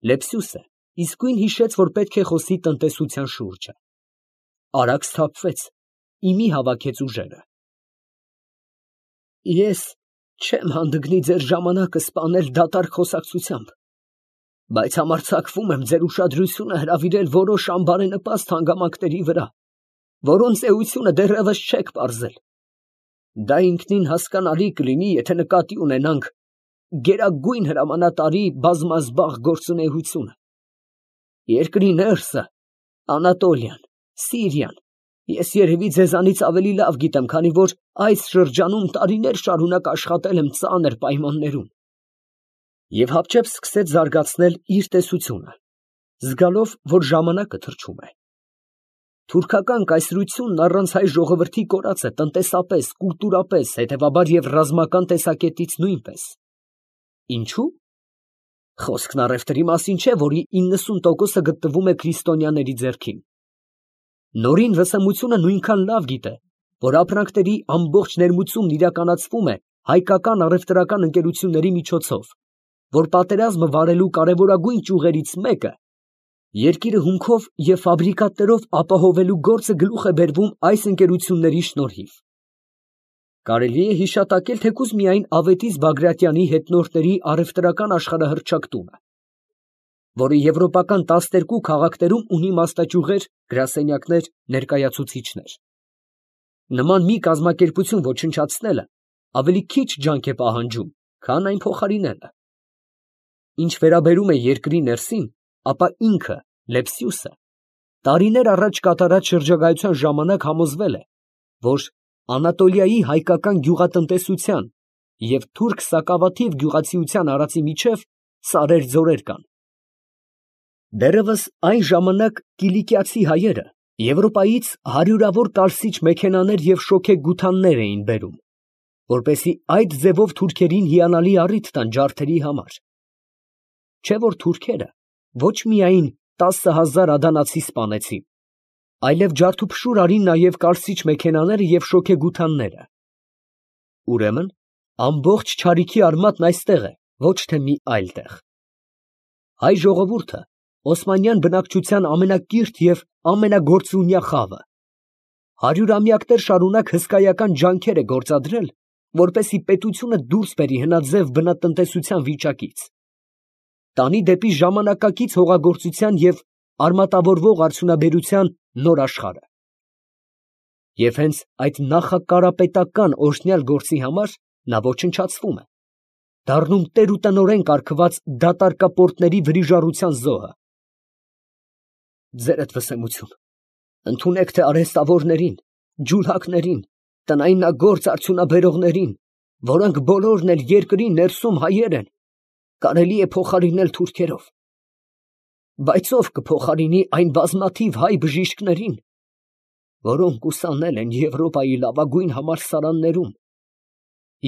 Լեպսյուսը իսկույն հիշեց, որ պետք է խոսի տնտեսության շուրջը. արագ սթափվեց, իմի հավաքեց ուժերը։ Ես չեմ հանդգնի ձեր ժամանակը սպանել դատարկ խոսակցությամբ, բայց համարձակվում եմ ձեր ուշադրությունը հրավիրել որոշ անբարենպաստ հանգամանքների վրա, որոնց էությունը դեռևս չեք պարզել։ Դա ինքնին հասկանալի կլինի, եթե նկատի ունենանք գերագույն հրամանատարի բազմազբաղ գործունեությունը։ Երկրի ներսը, Անատոլիան, Սիրիան, ես երևի ձեզանից ավելի լավ գիտեմ, քանի որ այս շրջանում տարիներ շարունակ աշխատել եմ ծանր պայմաններում։ Եվ հապճեպ սկսեց զարգացնել իր տեսությունը, զգալով, որ ժամանակը թրջում է։ Թուրքական կայսրությունն առանց հայ ժողովրդի կորած է տնտեսապես, կուլտուրապես, հետևաբար և ռազմական տեսակետից նույնպես։ Ինչու՞։ Խոսքն առևտրի մասին չէ, որի 90%-ը գտնվում է քրիստոնյաների ձեռքին։ Նորին վսեմությունը նույնքան լավ գիտե, որ ապրանքների ամբողջ ներմուծումն իրականացվում է հայկական առևտրական ընկերությունների միջոցով, որ պատերազմը վարելու կարևորագույն ճյուղերից մեկը երկիրը հումքով և ֆաբրիկատներով ապահովելու գործը գլուխ է բերվում այս ընկերությունների շնորհիվ։ Կարելի է հիշատակել թեկուզ միայն Ավետիս Բագրատյանի հետնորդների առևտրական աշխարհահռչակ տունը, որը եվրոպական 12 քաղաքներում ունի մասնաճյուղեր, գրասենյակներ, ներկայացուցիչներ։ Նման մի կազմակերպություն ոչնչացնելը ավելի քիչ ջանք է պահանջում, քան այն փոխարինելը։ Ինչ վերաբերում է երկրի ներսին, ապա ինքը, Լեպսյուսը, տարիներ առաջ կատարած շրջագայության ժամանակ համոզվել է, որ Անատոլիայի հայկական գյուղատնտեսության և թուրք սակավաթիվ գյուղացիության արածի միջև սարեր ձորեր կան։ Դեռևս այն ժամանակ կիլիկիացի հայերը Եվրոպայից հարյուրավոր կարսիչ մեքենաներ և շոգեգութաններ էին բերում, որպեսզի այդ ձևով թուրքերին հիանալի առիթ տան ջարդերի համար։ Չէ որ թուրքերը ոչ միայն 10,000 ադանացի սպանեցին, այլև ջարդուփշուր արին նաև կարսիչ մեքենաները և շոգեգութանները։ Ուրեմն ամբողջ չարիքի արմատն այստեղ է, ոչ թե մի այլ տեղ։ Հայ ժողովուրդը Օսմանյան բնակչության ամենակիրթ և ամենագործունյա խավը, հարյուրամյակներ շարունակ հսկայական ջանքեր է գործադրել, որպեսզի պետությունը դուրս բերի հնաձև բնատնտեսության վիճակից, տանի դեպի ժամանակակից հողագործության և արմատավորվող արդյունաբերության նոր աշխարհը։ Եվ հենց այդ նախակարապետական օրհնյալ գործի համար նա ոչնչացվում է, դառնում տեր ու տնօրեն կարգված դատարկապորտների վրիժառության զոհը։ Ձերդ վսեմություն, ընդունեք թե արհեստավորներին, ջուլհակներին, տնայնագործ արդյունաբերողներին, որոնք բոլորն էլ երկրի ներսում հայեր են, կարելի է փոխարինել թուրքերով։ Բայց ով կփոխարինի այն բազմաթիվ հայ բժիշկներին, որոնք ուսանել են Եվրոպայի լավագույն համալսարաններում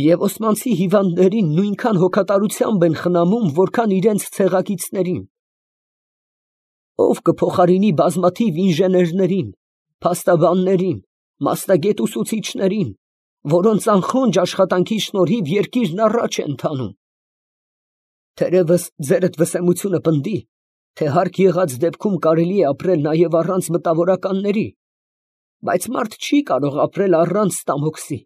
և օսմանցի հիվանդներին նույնքան հոգատարությամբ են խնամում, որքան իրենց ցեղակիցներին։ Ով կփոխարինի բազմաթիվ ինժեներներին, փաստաբաններին, մասնագետ ուսուցիչներին, որոնց անխոնջ աշխատանքի շնորհիվ երկիրն առաջ է ընթանում։ Թերևս ձերդ վսեմությունը պնդի, թե հարկ եղած դեպքում կարելի է ապրել նաև առանց մտավորականների, բայց մարդ չի կարող ապրել առանց ստամոքսի,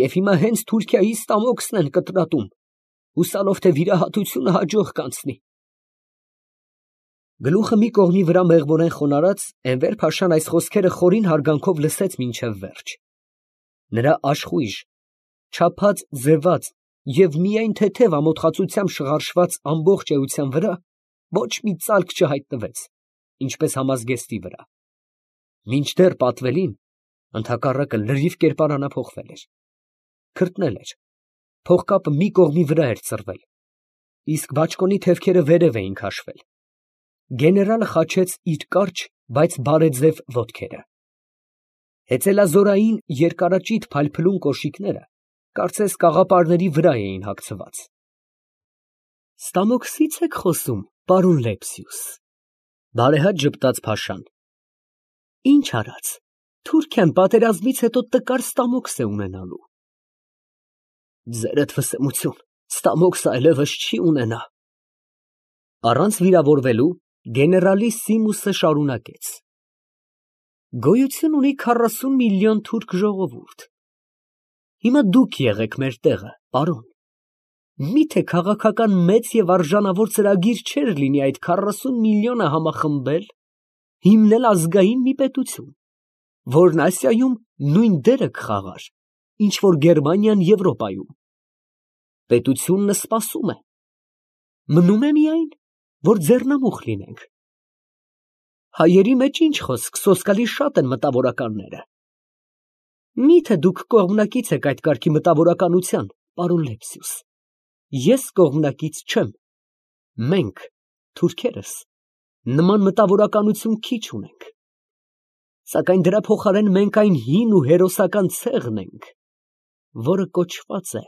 և հիմա հենց Թուրքիայի ստամոքսն են կտրատում, հուսալով, թե վիրահատությունը հաջող կանցնի։ Գլուխը մի կողմի վրա մեղմորեն խոնարհած, Էնվեր փաշան այս խոսքերը խորին հարգանքով լսեց մինչև վերջ։ Նրա աշխույժ, չափած, ձևած և միայն թեթև ամոթխածությամբ շղարշված ամբողջ էության վրա ոչ մի ծալք չհայտնվեց, ինչպես համազգեստի վրա։ Մինչդեռ պատվելին, ընդհակառակը, լրիվ կերպարանափոխվել էր, քրտնել էր, փողկապը մի կողմի վրա էր ծռվել, իսկ բաճկոնի թևքերը վերև էին քաշվել։ Գեներալը խաչեց իր կարճ, բայց բարեձև ոտքերը։ Հեծելազորային երկարաճիտ փայլփլուն կոշիկները կարծես կաղապարների վրա էին հագցված։ Ստամոքսի՞ց եք խոսում, պարոն Լեպսյուս, բարեհաճ ժպտաց փաշան։ Ինչ արած, Թուրքիան պատերազմից հետո տկար ստամոքս է ունենալու։ Ձերդ վսեմություն, ստամոքսը այլևս չի ունենա։ Առանց վիրավորվելու գեներալի Սիմուսը շարունակեց. Գոյություն ունի 40 միլիոն թուրք ժողովուրդ։ Հիմա դուք եղեք մեր տեղը, պարոն։ Միթե քաղաքական մեծ եւ արժանավոր ծրագիր չէր լինի այդ 40 միլիոնը համախմբել, հիմնել ազգային մի պետություն, որն Ասիայում նույն դերը կխաղար, ինչ որ Գերմանիան Եվրոպայում։ Պետությունն սպասում է։ Մնում է միայն, որ ձեռնամուխ լինենք։ Հայերի մեջ ինչ խոսք, սոսկալի շատ են մտավորականները։ Միթե դուք կողմնակից եք այդ կարգի մտավորականության, պարոն Լեպսիուս։ Ես կողմնակից չեմ։ Մենք, թուրքերս, նման մտավորականություն քիչ ունենք։ Սակայն դրա փոխարեն մենք այն հին ու հերոսական ցեղն ենք, որը կոչված է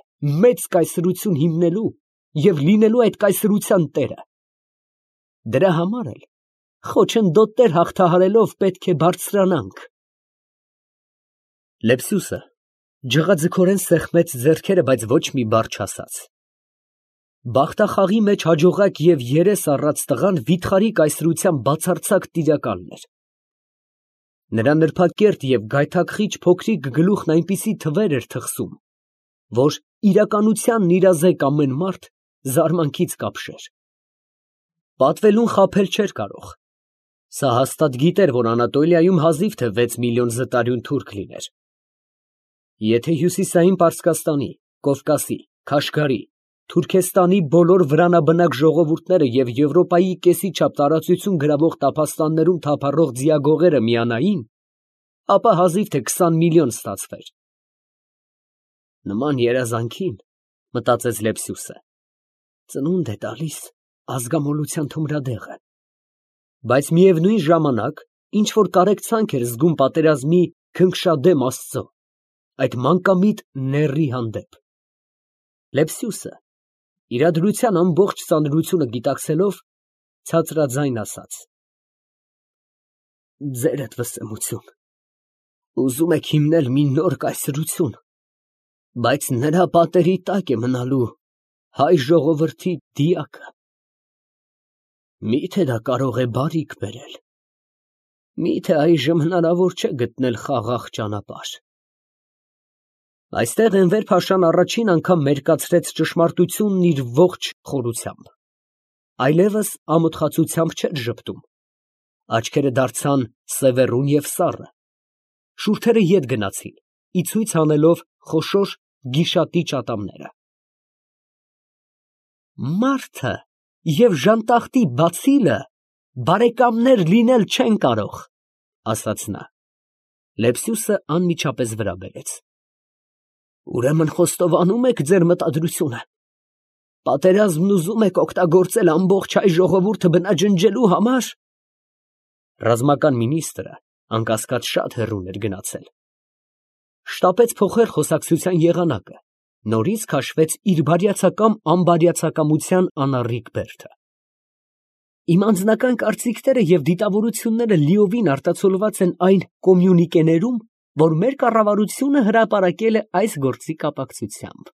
մեծ կայսրություն հիմնելու և լինելու այդ կայսրության տերը։ Դրա համար էլ խոչընդոտներ հաղթահարելով պետք է բարձրանանք։ Լեպսիուսը ջղաձգորեն սեղմեց ձեռքերը, բայց ոչ մի բառ չասաց։ Բախտախաղի մեջ հաջողակ և երես առած տղան վիթխարի կայսրության բացարձակ տիրակալն էր։ Նրա նրբակերտ և գայթակղիչ փոքրիկ գլուխն այնպիսի թվեր էր թխսում, որ իրականությանն իրազեկ ամեն մարդ զարմանքից կապշեր։ Պատվելուն խաբել չէր կարող։ Սա հաստատ գիտեր, որ Անատոլիայում հազիվ թե 6 միլիոն զտարյուն թուրք լիներ։ Եթե Հյուսիսային Պարսկաստանի, Կովկասի, Քաշգարի, Թուրքեստանի բոլոր վրանաբնակ ժողովուրդները և Եվրոպայի կեսի չափ տարածություն գրավող տափաստաններում թափառող ձիագողերը միանային, ապա հազիվ թե 20 միլիոն ստացվեր։ Նման երազանքին, մտածեց Լեպսիուսը, ծնունդ է տալիս ազգամոլության թմրադեղը, բայց միևնույն ժամանակ ինչ որ կարեկցանք էր զգում պատերազմի քնքշադեմ Աստծո, այդ մանկամիտ նեռի հանդեպ։ Լեպսիուսը իրադրության ամբողջ ծանրությունը գիտակցելով ցածրաձայն ասաց. Ձերդ վսեմություն, ուզում եք հիմնել մի նոր կայսրություն, բայց նրա պատերի տակ է մնալու հայ ժողովրդի դիակը։ Միթե դա կարող է բարիք բերել։ Միթե այժմ հնարավոր չէ գտնել խաղաղ ճանապարհ։ Այստեղ Էնվեր Փաշան առաջին անգամ մերկացրեց ճշմարտությունն իր ողջ խորությամբ, այլևս ամոթխածությամբ չէր ժպտում, աչքերը դարձան սևեռուն և սառը, շուրթերը ետ գնացին, ի ցույց անելով խոշոր գիշատիչ ատամները։ Մարդը և ժանտախտի բացիլը բարեկամներ լինել չեն կարող, ասաց նա։ Լեպսիուսը անմիջապես վրա բերեց. Ուրեմն խոստովանում եք ձեր մտադրությունը։ Պատերազմն ուզում եք օգտագործել ամբողջ հայ ժողովուրդը բնաջնջելու համար։ Ռազմական մինիստրը անկասկած շատ հեռուն էր գնացել։ Շտապեց փոխել խոսակցության եղանակը, նորից քաշվեց իր բարյացակամ անբարյացակամության անառիկ բերդը։ Իմ անձնական կարծիքները և դիտավորությունները լիովին արտացոլված են այն կոմյունիկեներում, որ մեր կառավարությունը հրապարակել է այս գործի կապակցությամբ։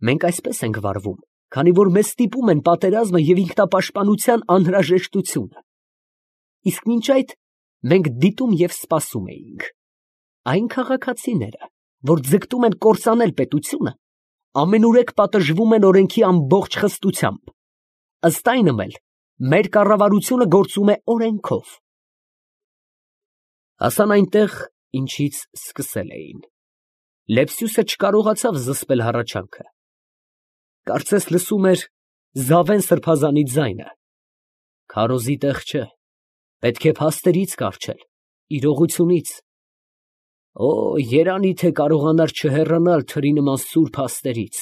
Մենք այսպես ենք վարվում, քանի որ մեզ ստիպում են պատերազմը և ինքնապաշտպանության անհրաժեշտությունը։ Իսկ մինչ այդ մենք դիտում և սպասում էինք։ Այն քաղաքացիները, որ ձգտում են կործանել պետությունը, ամենուրեք պատժվում են օրենքի ամբողջ խստությամբ։ Ըստ այնմ էլ մեր կառավարությունը գործում է օրենքով։ Հասան այնտեղ, ինչից սկսել էին։ Լեպսիուսը չկարողացավ զսպել հառաչանքը։ Կարծես լսում էր Զավեն սրբազանի ձայնը։ Քարոզի տեղ չէ, պետք է փաստերից կառչել, իրողությունից։ Օ, երանի թե կարողանար չհեռանալ թրի նման սուրբ աստերից,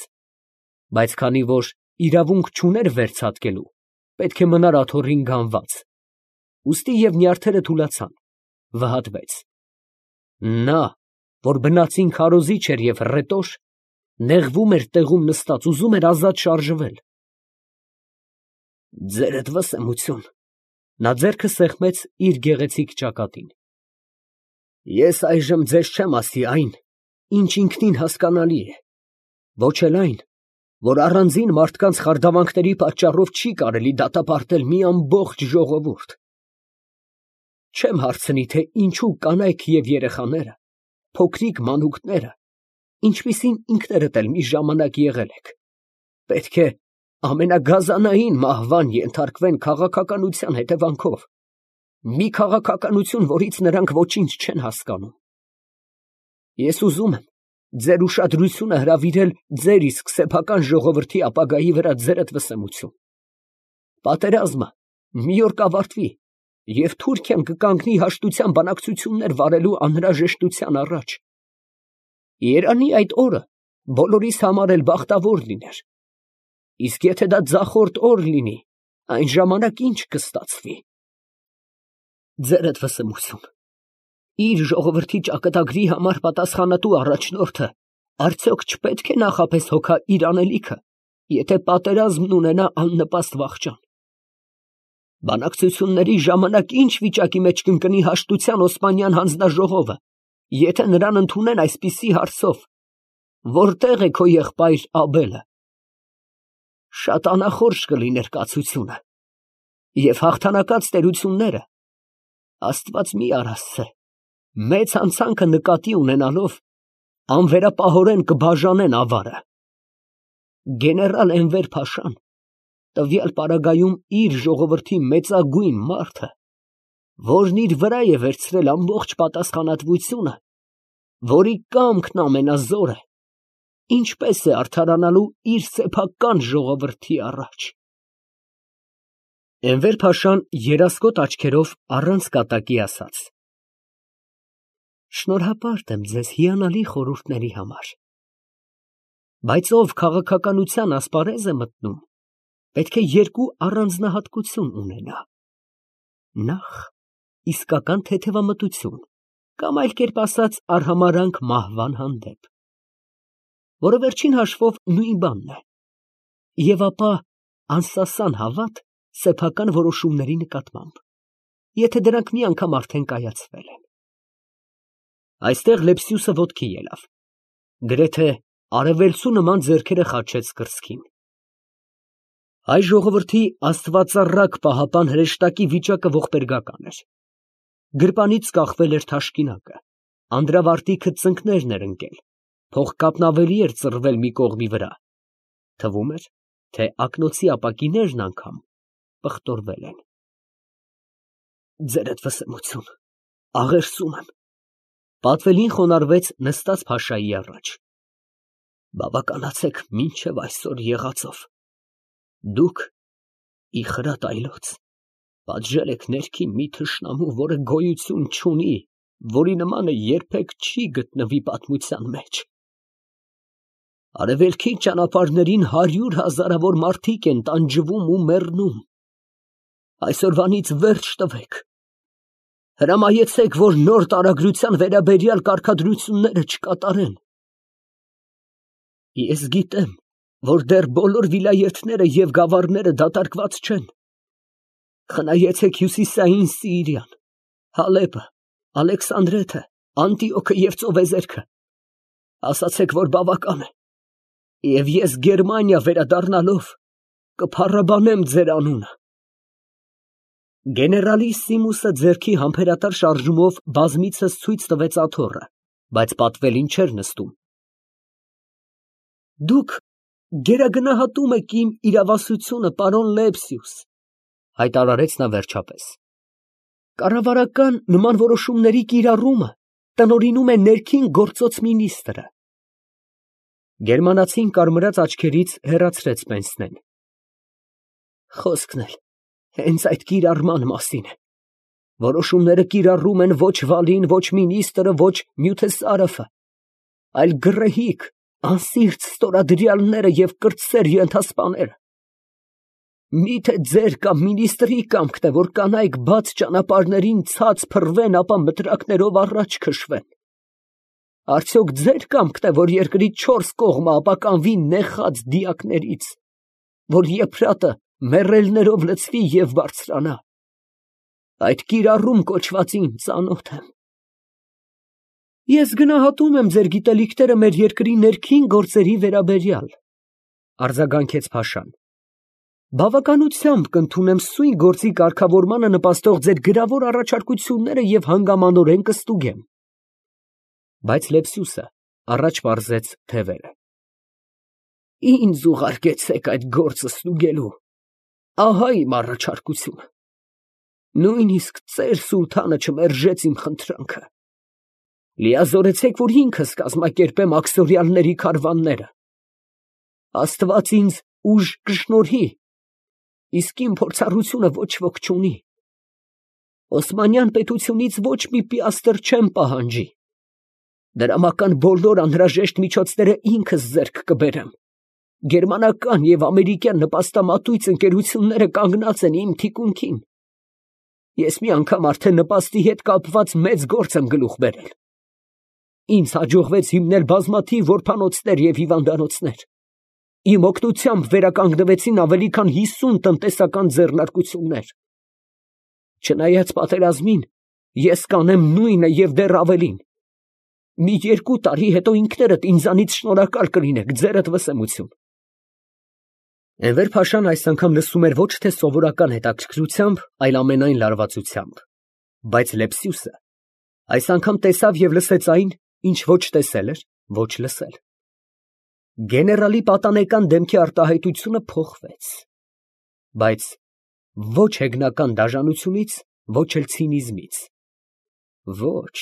բայց քանի որ իրավունք չուներ վերցատկելու, պետք է մնար աթոռին գանված, ուստի և նյարդերը թուլացան, վհատվեց։ Նա, որ բնածին քարոզիչ էր և հռետոր, նեղվում էր տեղում նստած, ուզում էր ազատ շարժվել։ Ձերդ վսեմություն, նա ձեռքը սեղմեց իր գեղեցիկ ճակատին։ Ես այժմ ձեզ չեմ ասի այն, ինչ ինքնին հասկանալի է, ոչ էլ այն, որ առանձին մարդկանց խարդավանքների պատճառով չի կարելի դատապարտել մի ամբողջ ժողովուրդ։ Չեմ հարցնի, թե ինչու կանայք և երեխաները, փոքրիկ մանուկները, ինչպիսին ինքներդ էլ մի ժամանակ եղել եք, պետք է ամենագազանային մահվան ենթարկվեն քաղաքականության հետևանքով, մի քաղաքականություն, որից նրանք ոչինչ չեն հասկանում։ Ես ուզում եմ ձեր ուշադրությունը հրավիրել ձեր իսկ սեփական ժողովրդի ապագայի վրա ձերդ վսեմություն։ Պատերազմը մի օր կավարտվի, և Թուրքիան կկանգնի հաշտության բանակցություններ վարելու անհրաժեշտության առաջ։ Երանի այդ օրը բոլորիս համար էլ բախտավոր լիներ։ Իսկ եթե դա ձախորդ օր լինի, այն ժամանակ ինչ կստացվի։ Ձերդ վսեմություն։ Իր ժողովրդի ճակատագրի համար պատասխանատու առաջնորդը արդյոք չպետք է նախապես հոգա իր անելիքը, եթե պատերազմն ունենա աննպաստ վախճան։ Բանակցությունների ժամանակ ինչ վիճակի մեջ կընկնի հաշտության Օսմանյան հանձնաժողովը, եթե նրան ընդունեն այսպիսի հարցով. որտե՞ղ է քո եղբայր Աբելը։ Շատ անախորժ կլիներ կացությունը, և հաղթանակած տերությունները, Աստված մի արասցե, մեծ հանցանքը նկատի ունենալով, անվերապահորեն կբաժանեն ավարը։ Գեներալ Էնվեր Փաշան տվյալ պարագայում իր ժողովրդի մեծագույն մարդը, որն իր վրա է վերցրել ամբողջ պատասխանատվությունը, որի կամքն ամենազոր է, ինչպես է արդարանալու իր սեփական ժողովրդի առաջ։ Էնվեր Փաշան երասկոտ աչքերով առանց կատակի ասաց. Շնորհապարտ եմ ձեզ հիանալի խորհուրդների համար, բայց ով քաղաքականության ասպարեզ է մտնում, պետք է երկու առանձնահատկություն ունենա. նախ իսկական թեթևամտություն, կամ այլ կերպ ասած արհամարհանք մահվան հանդեպ, որը վերջին հաշվով նույն բանն է, և ապա անսասան հավատ սեփական որոշումների նկատմամբ, եթե դրանք մի անգամ արդեն կայացվել են։ Այստեղ Լեպսիուսը ոտքի ելավ, գրեթե արևելցու նման ձեռքերը խաչեց կրծքին։ Հայ ժողովրդի աստվածառակ պահապան հրեշտակի վիճակը ողբերգական էր։ Գրպանից կախվել էր թաշկինակը, անդրավարտիքը ծնկներն էր ընկել, փողկապն ավելի էր ծռվել մի կողմի վրա, թվում էր, թե ակնոցի ապակիներն անգամ պղտորվել են։ Ձերդ վսեմություն, աղերսում եմ, պատվելին խոնարհվեց նստած Փաշայի առաջ։ Բավականացեք մինչև այսօր եղածով։ Դուք, իխրատ այլոց, պատժել եք ներքին մի թշնամու, որը գոյություն չունի, որի նմանը երբեք չի գտնվի պատմության մեջ։ Արևելքի ճանապարհներին 100 հազարավոր մարդիկ են տանջվում ու մեռնում։ Այսօրվանից վերջ տվեք։ Հրամայեցեք, որ նոր տարագրության վերաբերյալ կարգադրությունները չկատարեն։ Ես գիտեմ, որ դեռ բոլոր վիլայեթները և գավառները դատարկված չեն։ Խնայեցեք Հյուսիսային Սիիրիան, Հալեպը, Ալեքսանդրեթը, Անտիոքը և ծովեզերքը։ Ասացեք, որ բավական է, և ես Գերմանիա վերադառնալով կփառաբանեմ ձեր անունը։ Գեներալիսիմուսը ձեռքի համբերատար շարժումով բազմիցս ցույց տվեց աթոռը, բայց պատվելին չէր նստում։ Դուք գերագնահատում եք իմ իրավասությունը, պարոն Լեպսիուս, հայտարարեց նա վերջապես։ Կառավարական նման որոշումների կիրառումը տնօրինում է ներքին գործոց մինիստրը։ Գերմանացին կարմրած աչքերից հեռացրեց պենսնեն։ Խոսքն էլ հենց այդ կիրառման մասին է։ Որոշումները կիրառում են ոչ Վալին, ոչ մինիստրը, ոչ Նյութեսարոֆը, այլ գռեհիկ, անսիրտ ստորադրյալները և կրտսեր ենթասպաները։ Միթե ձեր կամ մինիստրի կամքն է, որ կանայք բաց ճանապարհներին ցած փռվեն, ապա մտրակներով առաջ քշվեն։ Արդյոք ձեր կամքն է, որ երկրի 4 կողմը ապականվի նեխած դիակներից, որ եփրատը մեռելներով լցվի և բարձրանա։ Այդ կիրառում կոչվածին ծանոթ եմ։ Ես գնահատում եմ ձեր գիտելիքները մեր երկրի ներքին գործերի վերաբերյալ, Արձագանքեց Փաշան։ Բավականությամբ կընդունեմ սույն գործի կարգավորմանը նպաստող ձեր գրավոր առաջարկությունները և հանգամանորեն կստուգեմ։ Բայց Լեպսյուսը առաջ պարզեց թևերը։ Ինձ ուղարկեցեք այդ գործը ստուգելու, ահա իմ առաջարկությունը։ Նույնիսկ ծեր սուլթանը չմերժեց իմ խնդրանքը։ Լիազորեցեք, որ ինքս կազմակերպեմ աքսորյալների քարավանները։ Աստված ինձ ուժ կշնորհի, իսկ իմ փորձառությունը ոչ ոք չունի։ Օսմանյան պետությունից ոչ մի պիաստր չեմ պահանջի։ Դրամական բոլոր անհրաժեշտ միջոցները ինքս ձեռք կբերեմ։ Գերմանական և ամերիկյան նպաստամատույց ընկերությունները կանգնած են իմ թիկունքին։ Ես մի անգամ արդեն նպաստի հետ կապված մեծ գործ եմ գլուխ բերել։ Ինձ հաջողվեց հիմնել բազմաթիվ որբանոցներ և հիվանդանոցներ։ Իմ օգնությամբ վերականգնվեցին ավելի քան 50 տնտեսական ձեռնարկություններ։ Չնայած պատերազմին, ես կանեմ նույնը և դեռ ավելին։ Մի 2 տարի հետո ինքներդ ինձանից շնորհակալ կլինեք, ձերդ վսեմություն։ Էնվեր Փաշան այս անգամ լսում էր ոչ թե սովորական հետաքրքրությամբ, այլ ամենայն լարվածությամբ, բայց Լեպսյուսը այս անգամ տեսավ և լսեց այն, ինչ ոչ տեսել էր, ոչ լսել։ Գեներալի պատանեկան դեմքի արտահայտությունը փոխվեց, բայց ոչ հեգնական դաժանությունից, ոչ էլ ցինիզմից։ Ոչ,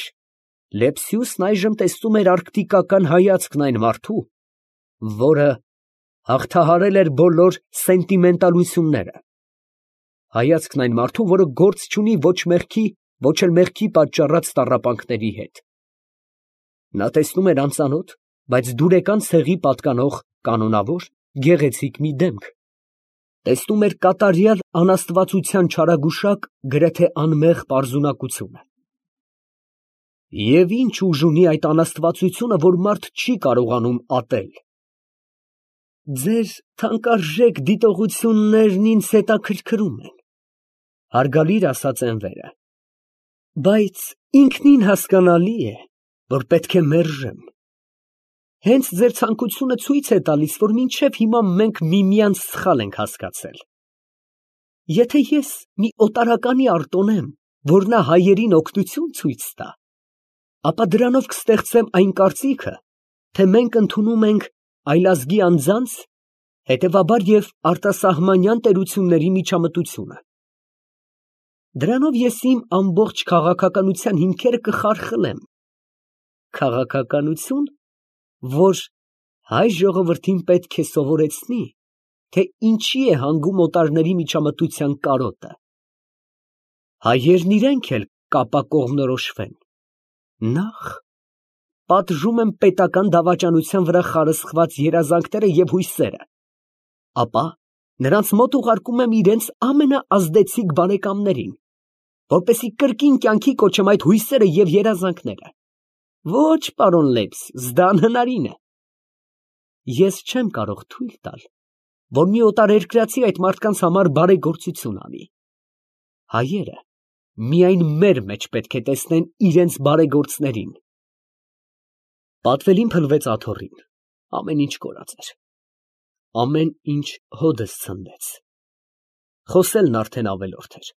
Լեպսյուսն այժմ տեսնում էր արկտիկական հայացքն այն մարդու, որը հաղթահարել էր բոլոր սենտիմենտալությունները, հայացքն այն մարդու, որը գործ չունի ոչ մեղքի, ոչ էլ մեղքի պատճառած տառապանքների հետ։ Նա տեսնում էր անծանոթ, բայց դուրեկան ցեղի պատկանող կանոնավոր, գեղեցիկ մի դեմք, տեսնում էր կատարյալ անաստվածության չարագուշակ, գրեթե անմեղ պարզունակությունը։ Եվ ինչ ուժ ունի այդ անաստվածությունը, որ մարդ չի կարողանում ատել։ Ձեր թանկարժեք դիտողություններն ինձ հետաքրքրում են, հարգալիր ասաց Էնվերը, բայց ինքնին հասկանալի է, որ պետք է մերժեմ։ Հենց ձեր ցանկությունը ցույց է տալիս, որ մինչև հիմա մենք միմյանց սխալ ենք հասկացել։ Եթե ես մի օտարականի արտոնեմ, որ նա հայերին օգնություն ցույց տա, ապա դրանով կստեղծեմ այն կարծիքը, թե մենք ընդունում ենք այլազգի անձանց, հետևաբար և արտասահմանյան տերությունների միջամտությունը։ Դրանով ես իմ ամբողջ քաղաքականության հիմքերը կխարխլեմ։ Քաղաքականություն, որ հայ ժողովրդին պետք է սովորեցնի, թե ինչի է հանգում օտարների միջամտության կարոտը։ Հայերն իրենք էլ կապակողմնորոշվեն։ Նախ պատժում եմ պետական դավաճանության վրա խարսխված երազանքները և հույսերը, ապա նրանց մոտ ուղարկում եմ իրենց ամենաազդեցիկ բարեկամներին, որպեսզի կրկին կյանքի կոչեմ այդ հույսերը և երազանքները։ Ոչ, պարոն Լեպսյուս, դա անհնարին է։ Ես չեմ կարող թույլ տալ, որ մի օտարերկրացի այդ մարդկանց համար բարեգործություն անի։ Հայերը միայն մեր մեջ պետք է տեսնեն իրենց բարեգործներին։ Պատվելին փլվեց աթոռին, ամեն ինչ կորած էր, ամեն ինչ հոդս ցնդեց։ Խոսելն արդեն ավելորդ էր։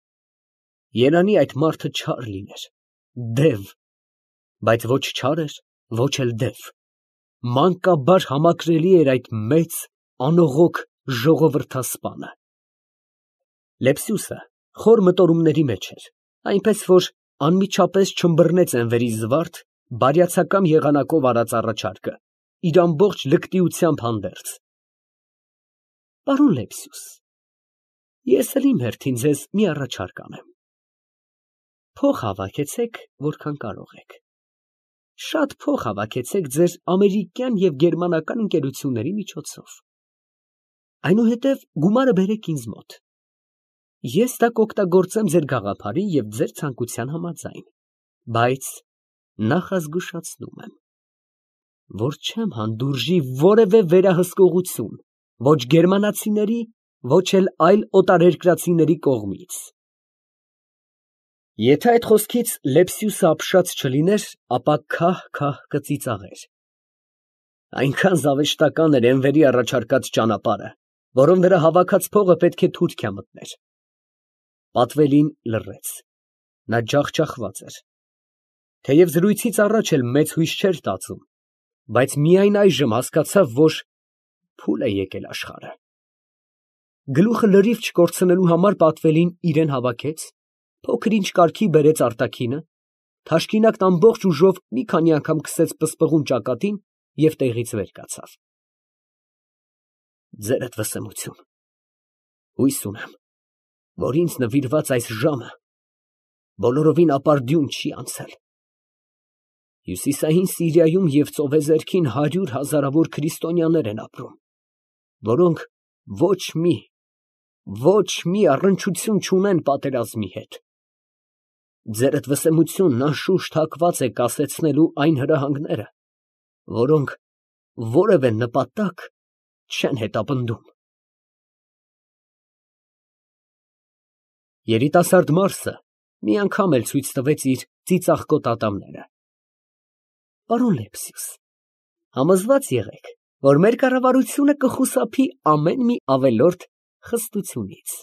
Երանի այդ մարդը չար լիներ, դև, բայց ոչ չար էր, ոչ էլ դև, մանկաբար համակրելի էր այդ մեծ, անողոք ժողովրդասպանը։ Լեպսյուսը խոր մտորումների մեջ էր, այնպես որ անմիջապես չըմբռնեց Էնվերի զվարթ, բարյացակամ եղանակով արած առաջարկը, իր ամբողջ լկտիությամբ հանդերձ։ Պարոն Լեպսյուս, ես էլ իմ հերթին ձեզ մի առաջարկ անեմ։ Փող հավաքեցեք, որքան կարող եք։ Շատ փող հավաքեցեք ձեր ամերիկյան և գերմանական ընկերությունների միջոցով։ Այնուհետև գումարը բերեք ինձ մոտ։ Ես դա կօգտագործեմ ձեր գաղափարի և ձեր ցանկության համաձայն, բայց նախազգուշացնում եմ, որ չեմ հանդուրժի որևէ վերահսկողություն, ոչ գերմանացիների, ոչ էլ այլ օտարերկրացիների կողմից։ Եթե այդ խոսքից Լեպսյուսը ապշած չլիներ, ապա քահ-քահ կծիծաղեր։ Այնքան զավեշտական էր Էնվերի առաջարկած ճանապարհը, որում նրա հավաքած փողը պետք է Թուրքիա մտներ։ Պատվելին լռեց. նա ջախջախված էր։ Թեև զրույցից առաջ էլ մեծ հույս չէր տածում, բայց միայն այժմ հասկացավ, որ փուլ է եկել աշխարհը։ Գլուխը լրիվ չկորցնելու համար Պատվելին իրան հավաքեց, փոքր ինչ կարգի բերեց արտաքինը, թաշկինակն ամբողջ ուժով մի քանի անգամ քսեց պսպղուն ճակատին և տեղից վեր կացավ։ Ձերդ վսեմություն, հույս ունեմ, որ ինձ նվիրված այս ժամը բոլորովին ապարդյուն չի անցել։ Հյուսիսային Սիրիայում և ծովեզերքին 100 հազարավոր քրիստոնյաներ են ապրում, որոնք ոչ մի առնչություն չունեն պատերազմի հետ։ Ձերդ վսեմությունն անշուշտ հակված է կասեցնելու այն հրահանգները, որոնք որևէ նպատակ չեն հետապնդում։ Երիտասարդ Մարսը մի անգամ էլ ցույց տվեց իր ծիծաղկոտ ատամները։ Պարոն Լեպսիուս, համոզված եղեք, որ մեր կառավարությունը կխուսափի ամեն մի ավելորդ խստությունից։